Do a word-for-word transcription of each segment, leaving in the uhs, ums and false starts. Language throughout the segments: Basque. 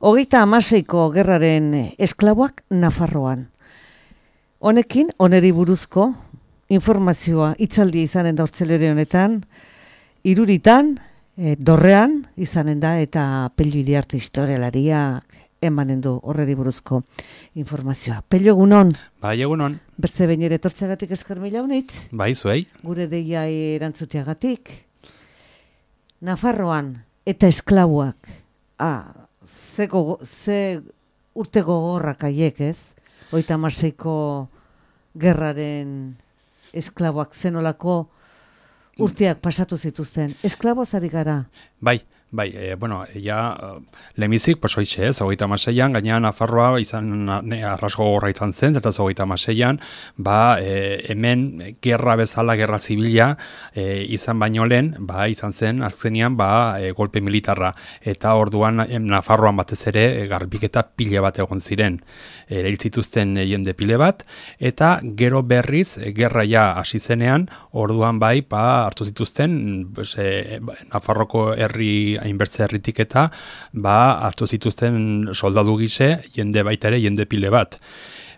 Hogeita hamaseiko gerraren esklaboak Nafarroan. Honekin, oneri buruzko informazioa hitzaldia izanen da hortzelere honetan, Iruritan, e, Dorrean izanen da eta Pello Iriarte historialariak emanen du horreri buruzko informazioa. Pello, egunon? Bai, egunon. Bertze behin ere tortzeagatik esker mila honitz? Bai, zuei. Gure deia erantzuteagatik. Nafarroan eta esklaboak, ah, ze, gogo, ze urte gogorrak aiek, ez? Hogeita hamaseiko gerraren esklaboak zenolako urteak pasatu zituzten. Esklaboaz ari gara? Bai. Bai, e, bueno, ja, lemizik, pues hoitxe ez, hogeita hamaseian, gainean Nafarroa izan, ne, arrasko gorra izan zen, eta hogeita hamaseian, ba, e, hemen gerra bezala, gerra zibila, e, izan baino lehen, ba, izan zen, azkenean, ba, e, golpe militarra, eta orduan em, Nafarroan batez ere, e, garbiketa pile bat egon ziren, e, hil zituzten e, jende pile bat, eta gero berriz, e, gerra ja hasi zenean, orduan bai, ba, hartu zituzten, pues, e, Nafarroko herri hainbertze herritik eta ba, hartu zituzten soldadu gise, jende baita ere, jende pile bat.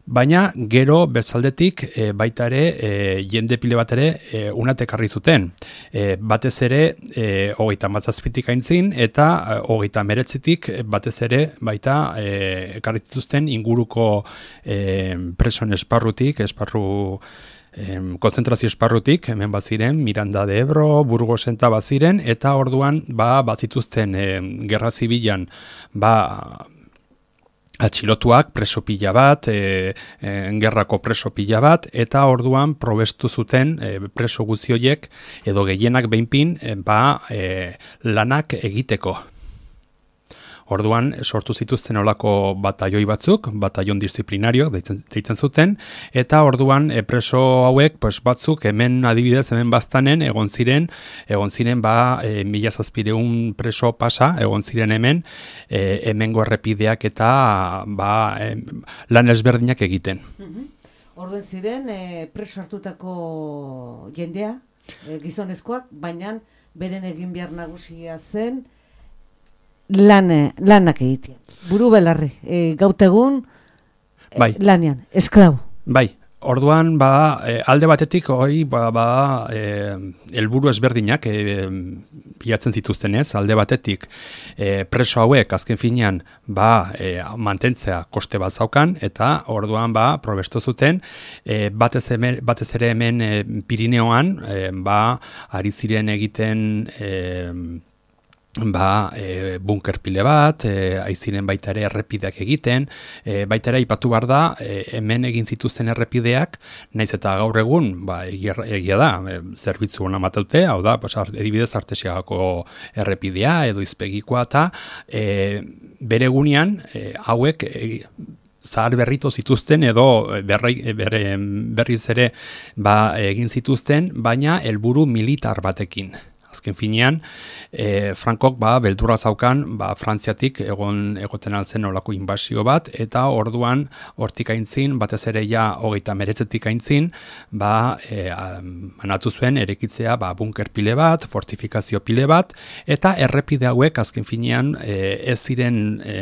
Baina gero bertzaldetik e, baita ere, e, jende pile bat ere, e, unatek harri zuten. E, batez ere, e, hogeita mazazpitik aintzin, eta e, hogeita meretzitik batez ere, baita e, ekarri zituzten inguruko e, preson esparrutik, esparru Em, konzentrazio esparrutik, hemen bat ziren, Miranda de Ebro, Burgosen eta bat ziren, eta orduan ba, bat zituzten em, gerra zibilan ba, atxilotuak preso pila bat, e, e, gerrako preso pila bat, eta orduan probestu zuten e, preso guzioiek edo gehienak behinpin e, ba, e, lanak egiteko. Orduan sortu zituzten olako bataioi batzuk, bataion disziplinario deitzen, deitzen zuten, eta orduan e, preso hauek pues, batzuk hemen adibidez hemen baztanen egon ziren, egon ziren ba e, mila zazpireun preso pasa, egon ziren hemen, e, hemengo errepideak eta ba, e, lan ezberdinak egiten. Mm-hmm. Orduen ziren e, preso hartutako jendea, e, gizonezkoak, baina beren egin behar nagusia zen, Lan, lanak egitea. Buru belarri, e, gautegun e, bai. Lanean, esklabo. Bai, orduan ba, e, alde batetik hoi ba, ba, e, helburu ezberdinak e, bilatzen zituzten ez, alde batetik e, preso hauek azken finean ba, e, mantentzea koste bat zaukan, eta orduan ba, probestu zuten, e, batez, hemen, batez ere hemen e, Pirineoan e, ba, ari ziren egiten E, ba, e, bunker pile bat, e, aiziren baita ere errepideak egiten, e, baita ere aipatu behar da, e, hemen egin zituzten errepideak, naiz eta gaur egun, ba, egia, egia da, e, zerbitzu hona mataute, hau da, pues, edibidez Artesiagako errepidea, edo izpegikoa, eta e, bere gunean, e, hauek, e, zahar berrito zituzten edo berri, berri, berriz ere ba, egin zituzten, baina helburu militar batekin. Azken finean, e, Frankok ba, beldurra zaukan ba, Frantziatik egon egoten altzen olako inbasio bat, eta orduan hortik aintzin, batez ere ja hogeita meretzetik aintzin, ba, e, manatu zuen erekitzea ba, bunker pile bat, fortifikazio pile bat, eta errepide hauek azken finean e, ez ziren e,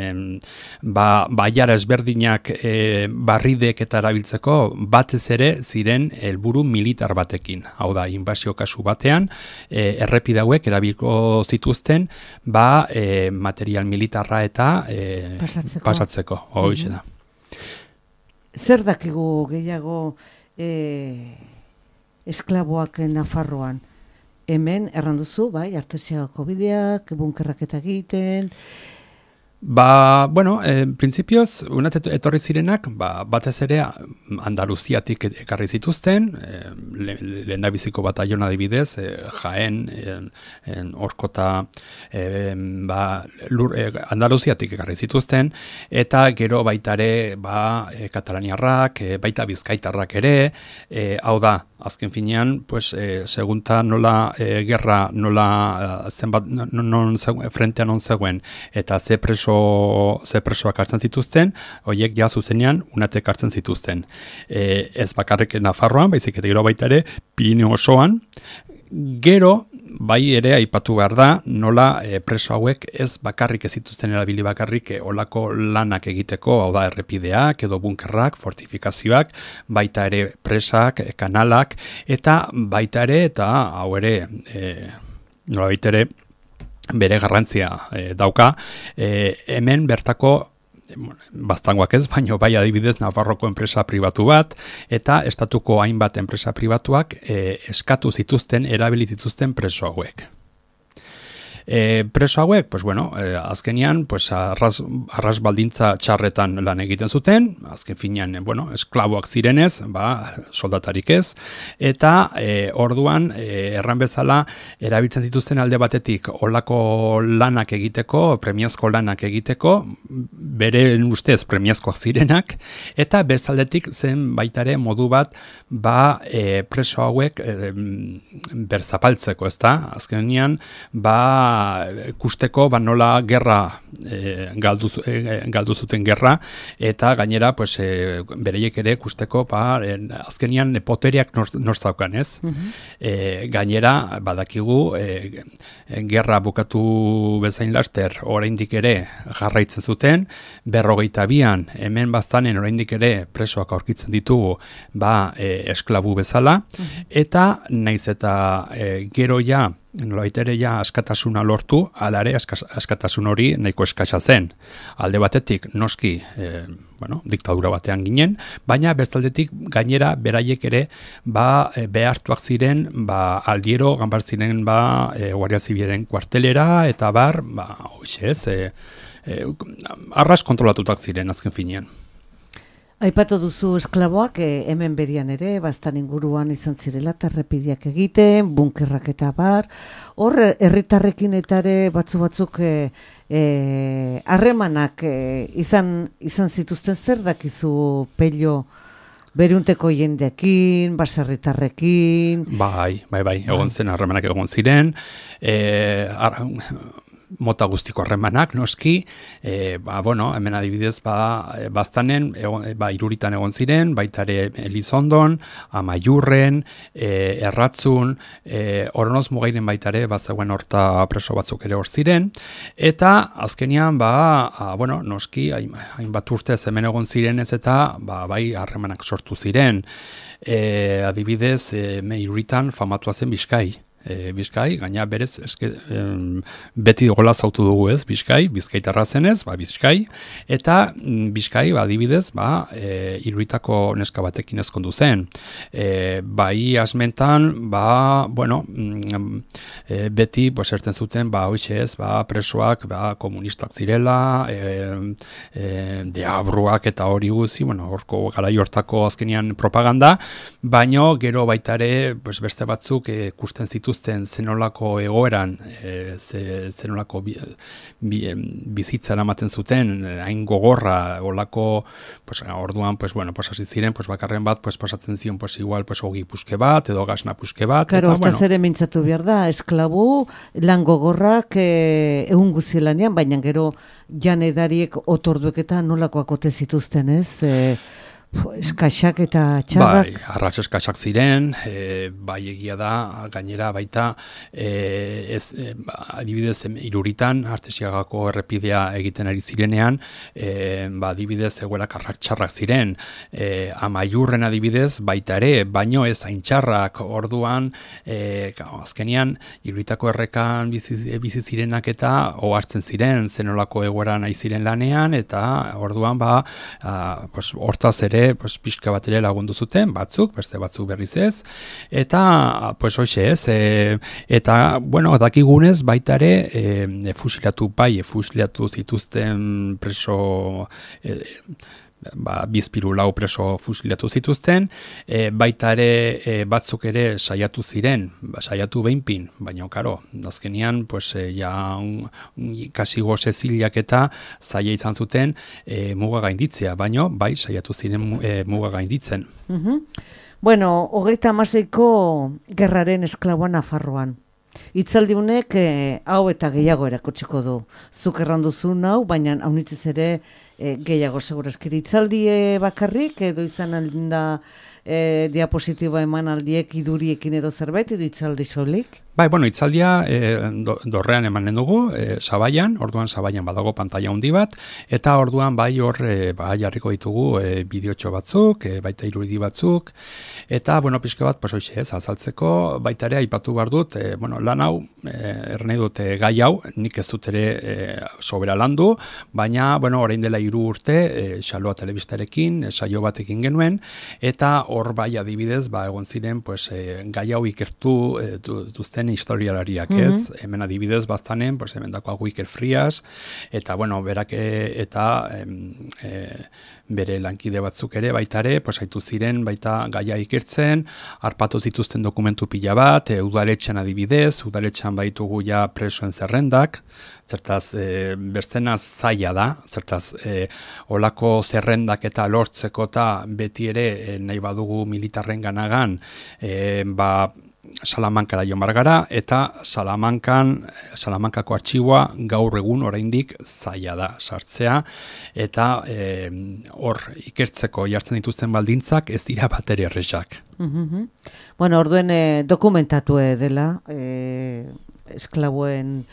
ba, baiara ezberdinak e, barridek eta erabiltzeko batez ere ziren helburu militar batekin. Hau da, inbasio kasu batean, e, errepide hauek erabilko zituzten ba, e, material militarra eta e, pasatzeko. pasatzeko. Hoize da. Zer dakigu gehiago e, esklaboak Nafarroan? Hemen erranduzu, bai, Artesiagako bideak, bunkerrak eta egiten. Ba, bueno, en principios, unat etorri zirenak, ba, batez ere Andaluziatik ekarri zituzten, eh, lehen da biziko batallona adibidez, eh, Jaén, en, en Orkota, eh, ba, lur, eh, Andaluziatik ekarri zituzten, eta gero baitare, ba, eh, katalaniarrak, eh, baita bizkaitarrak ere, eh, hau da, azken finean, pues, eh, segunta nola eh, gerra, nola eh, zenbat, non, non zegoen, frentean non zegoen, eta ze preso ze presoak hartzen zituzten, horiek ja zuzenean unatek hartzen zituzten. E, ez bakarrik Nafarroan, baizik eta gero baita ere Pirineo osoan, gero bai ere aipatu behar da, nola e, preso hauek ez bakarrik ez zituzten erabili bakarrik e, olako lanak egiteko, hau da errepideak edo bunkerrak, fortifikazioak, baita ere presak, e, kanalak, eta baita ere, eta hau ere, e, nola baita ere, bere garrantzia e, dauka, e, hemen bertako baztangoak ez, baino bai adibidez Nafarroko enpresa pribatu bat, eta estatuko hainbat enpresa pribatuak e, eskatu zituzten, erabili zituzten preso hauek. E, preso hauek, pues bueno, e, azkenian, pues arras, arras baldintza txarretan lan egiten zuten, azken finean, bueno, esklaboak zirenez, ba, soldatarik ez, eta e, orduan, e, erran bezala, erabiltzen zituzten alde batetik olako lanak egiteko, premiazko lanak egiteko, bere ustez premiazkoak zirenak, eta bezaldetik zen baitare modu bat, ba, e, preso hauek e, berzapaltzeko, ezta? Azkenean, ba, kusteko ba nola gerra e, galdu, e, galdu zuten gerra, eta gainera pues, e, bereiek ere kusteko ba, e, azkenian poteriak norz daukan, ez? Uh-huh. E, gainera badakigu e, gerra bukatu bezain laster oraindik ere jarraitzen zuten, berrogeita bian hemen baztanen oraindik ere presoak aurkitzen ditugu ba, e, esklabu bezala, uh-huh. eta naiz eta e, gero ja nolabait ere ja askatasuna lortu, alare askatasun hori nahiko eskasa zen. Alde batetik noski, e, bueno, diktadura batean ginen, baina bestaldetik gainera beraiek ere ba e, behartuak ziren, ba aldiero ganbar ziren ba e, Guardia Zibilaren kuartelera eta bar, ba hoxe ez, e, e, arras kontrolatutak ziren azken finean. Aipatu duzu esklaboak, e, hemen berian ere, bastan inguruan izan zirela, errepideak egiten, bunkerrak eta bar, hor herritarrekin eta ere batzu batzuk e, e, harremanak e, izan, izan zituzten, zer dakizu Pello berunteko jendeekin, baserritarrekin? Bai, bai, bai, egon zen harremanak egon ziren, e, ar, mota guztiko harremanak, noski, e, ba, bueno, hemen adibidez, ba, baztanen, egon, ba, iruritan egon ziren, baita ere Elizondon, Amaiurren, e, Erratzun, e, Oronoz Mugairen baita ere, bazegoen horta preso batzuk ere hor ziren, eta azkenian, ba, a, bueno, noski, hainbat urtez hemen egon ziren ez eta, ba, bai, harremanak sortu ziren, e, adibidez, e, me iruritan famatua zen Bizkai. E, Bizkai, gaina berez eske, em, beti gola zautu dugu ez, Bizkai, Bizkaitarra zenez, ba, Bizkai, eta mm, Bizkai, ba, adibidez, ba, e, iruritako neska batekin ezkondu zen. E, bai asmentan, ba, bueno, mm, e, beti, pues, erten zuten, ba, hoxe ez, ba, presoak, ba, komunistak zirela, e, e, deabruak eta hori guzi, bueno, horko garai hortako azkenian propaganda, baino gero baitare, pues, beste batzuk e, kusten zitu zenolako egoeran, e, zenolako bi, bi, bizitza eramaten zuten, hain gogorra, olako, pues, orduan, pues, bueno, pues, hasi ziren, pues, bakarren bat, pues, pasatzen zion, pues, igual, pues, ogi puske bat, edo gasna puske bat. Claro, eta, hortaz bueno. Ere mintzatu behar da, esklabu, lan gogorrak e, egun guzielanean, baina gero jan edariek otorduek eta nolakoak ote zituzten, ez? E, eskaxak eta txarrak. Bai, arratz eskaxak ziren, e, bai egia da, gainera baita, e, ez, e, adibidez, iruritan, Artesiagako errepidea egiten ari zirenean, e, ba, adibidez, egoerak arratz txarrak ziren, e, Amaiurren adibidez, baita ere, baino ez hain txarrak, orduan, e, azkenian, iruritako errekan bizi, bizi zirenak eta ohartzen ziren, zenolako egoeran nahi ziren lanean, eta orduan, ba, a, pues, hortaz ere, pues, pixka bat ere lagundu zuten, batzuk, beste batzuk berriz ez, eta, pues, hoxe ez, e, eta, bueno, dakigunez, baita ere, e, fusilatu, bai, fusilatu zituzten preso, e, ba, bizpiru lau preso fusilatu zituzten, e, baita ere e, batzuk ere saiatu ziren, ba, saiatu behinpin, baina, karo, azkenian, pues, e, ja, un, kasi goze zilak eta zaila izan zuten e, muga gainditzea, baina, bai, saiatu ziren e, muga gainditzen. Uh-huh. Bueno, hogeita hamaseiko gerraren esklaboa Nafarroan. Itzaldiunek e, hau eta gehiago erakutsiko du. Zuk erranduzun hau, baina haunitzez ere e, gehiago segurazki hitzaldie bakarrik, edo izan alda e, diapositiba eman aldiek iduriekin edo zerbait, edo hitzaldi solik? Bai, bueno, hitzaldia e, do, dorrean emanen dugu, e, Sabaian, orduan Sabaian badago pantalla handi bat, eta orduan bai hor e, bai jarriko ditugu e, bideotxo batzuk, e, baita irudi batzuk, eta, bueno, pixka bat, pues hoxe ez, azaltzeko, baita ere aipatu behar dut, e, bueno, lan hau, e, ernei dut e, gai hau, nik ez dut ere e, sobera landu, baina, bueno, orain dela hiru urte, e, Xaloa telebistarekin, e, saio batekin genuen, eta hor bai adibidez, ba, egon ziren, pues, e, gai hau ikertu e, duzten historialariak, mm-hmm. ez? Hemen adibidez baztanen, pues, hemen dakoa Wiker Frias, eta, bueno, berak eta e, bere lankide batzuk ere, baitare, pues, haitu ziren, baita gaia ikertzen, harpatu zituzten dokumentu pila bat, e, udaletxean adibidez, udaletxean baitugu ja presoen zerrendak, zertaz, e, bestena zaila da, zertaz, e, olako zerrendak eta lortzeko eta beti ere e, nahi badugu militarren ganagan, e, ba, Salamankara joan gara, eta Salamankan, Salamankako artxiboa gaur egun oraindik zaila da sartzea, eta hor e, ikertzeko jartzen dituzten baldintzak ez dira bateri erresak. Mm-hmm. Bueno, orduen e, dokumentatu dela, e, esklaboen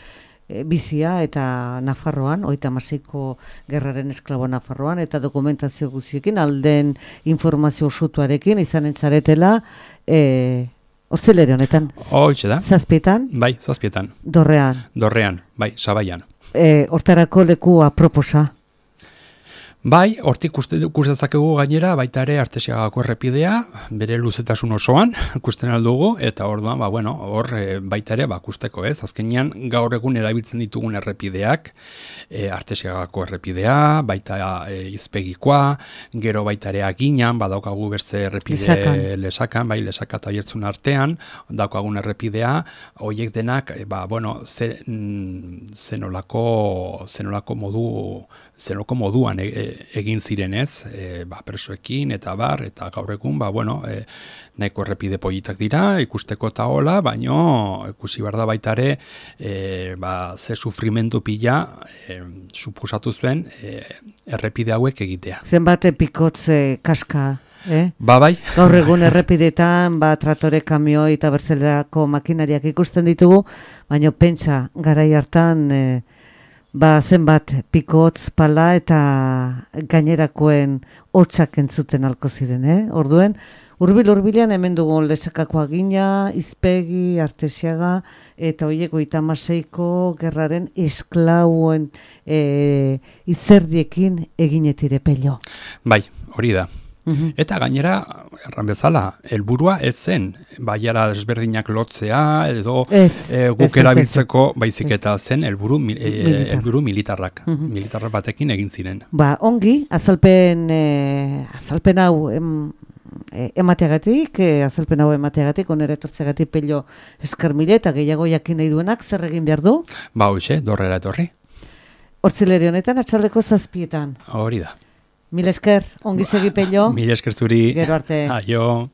e, bizia eta Nafarroan, hogeita hamaseiko gerraren esklabo Nafarroan, eta dokumentazio guztiekin, alden informazio osotuarekin izanen zaretela, e, Hortzelere honetan. Hoitxe da. Zazpietan? Bai, zazpietan. Dorrean. Dorrean, bai, Sabaian. E, hortarako leku aproposa. Bai, hortik ikustezakegu gainera, baita ere Artesiagako errepidea, bere luzetasun osoan, ikusten aldugu, eta orduan, ba, bueno, hor e, baita ere, ba, kusteko ez, azkenean gaur egun erabiltzen ditugun errepideak, e, Artesiagako errepidea, baita e, izpegikoa, gero baita ere aginan, badaukagu beste errepide lesakan, lesakan bai, lesaka eta jertzun artean, daukagun errepidea, horiek denak, e, ba, bueno, zenolako, zenolako modu, zenolako moduan e, egin zirenez, e, ba, presoekin eta bar, eta gaur egun, ba, bueno, e, nahiko errepide politak dira, ikusteko eta hola, baino, ikusi behar da baita ere, e, ba, ze sufrimentu pila, e, supusatu zuen, e, errepide hauek egitea. Zenbat pikotze kaska, eh? Ba, bai. Gaur egun errepidetan, ba, tratore, kamioi eta bertzelako makinariak ikusten ditugu, baino pentsa, garai hartan, e, ba, zenbat pikotz, pala eta gainerakoen hotsak entzuten alko ziren, eh? Orduen, hurbil-hurbilean hemen dugu lesakako agina, izpegi, Artesiaga, eta horiek hogeita hamaseiko gerraren esklauen e, izerdiekin eginetire pello. Bai, hori da. Eta gainera, erran bezala, helburua ez zen, baiara desberdinak lotzea, edo ez, e, guk ez, erabiltzeko baizik eta zen helburu e, Militar. helburu militarrak, uh-huh. militarrak batekin egin ziren. Ba, ongi, azalpen, e, azalpen hau em, e, emateagatik, e, azalpen hau emateagatik, onera etortzeagatik pello eskarmile eta gehiago jakin nahi duenak, zer egin behar du? Ba, hoxe, dorrera etorri. Hortzileri honetan, atxaldeko zazpietan. Hori da. Mil esker, ongi segi pello. Mil esker zuri. Gero arte. Aio.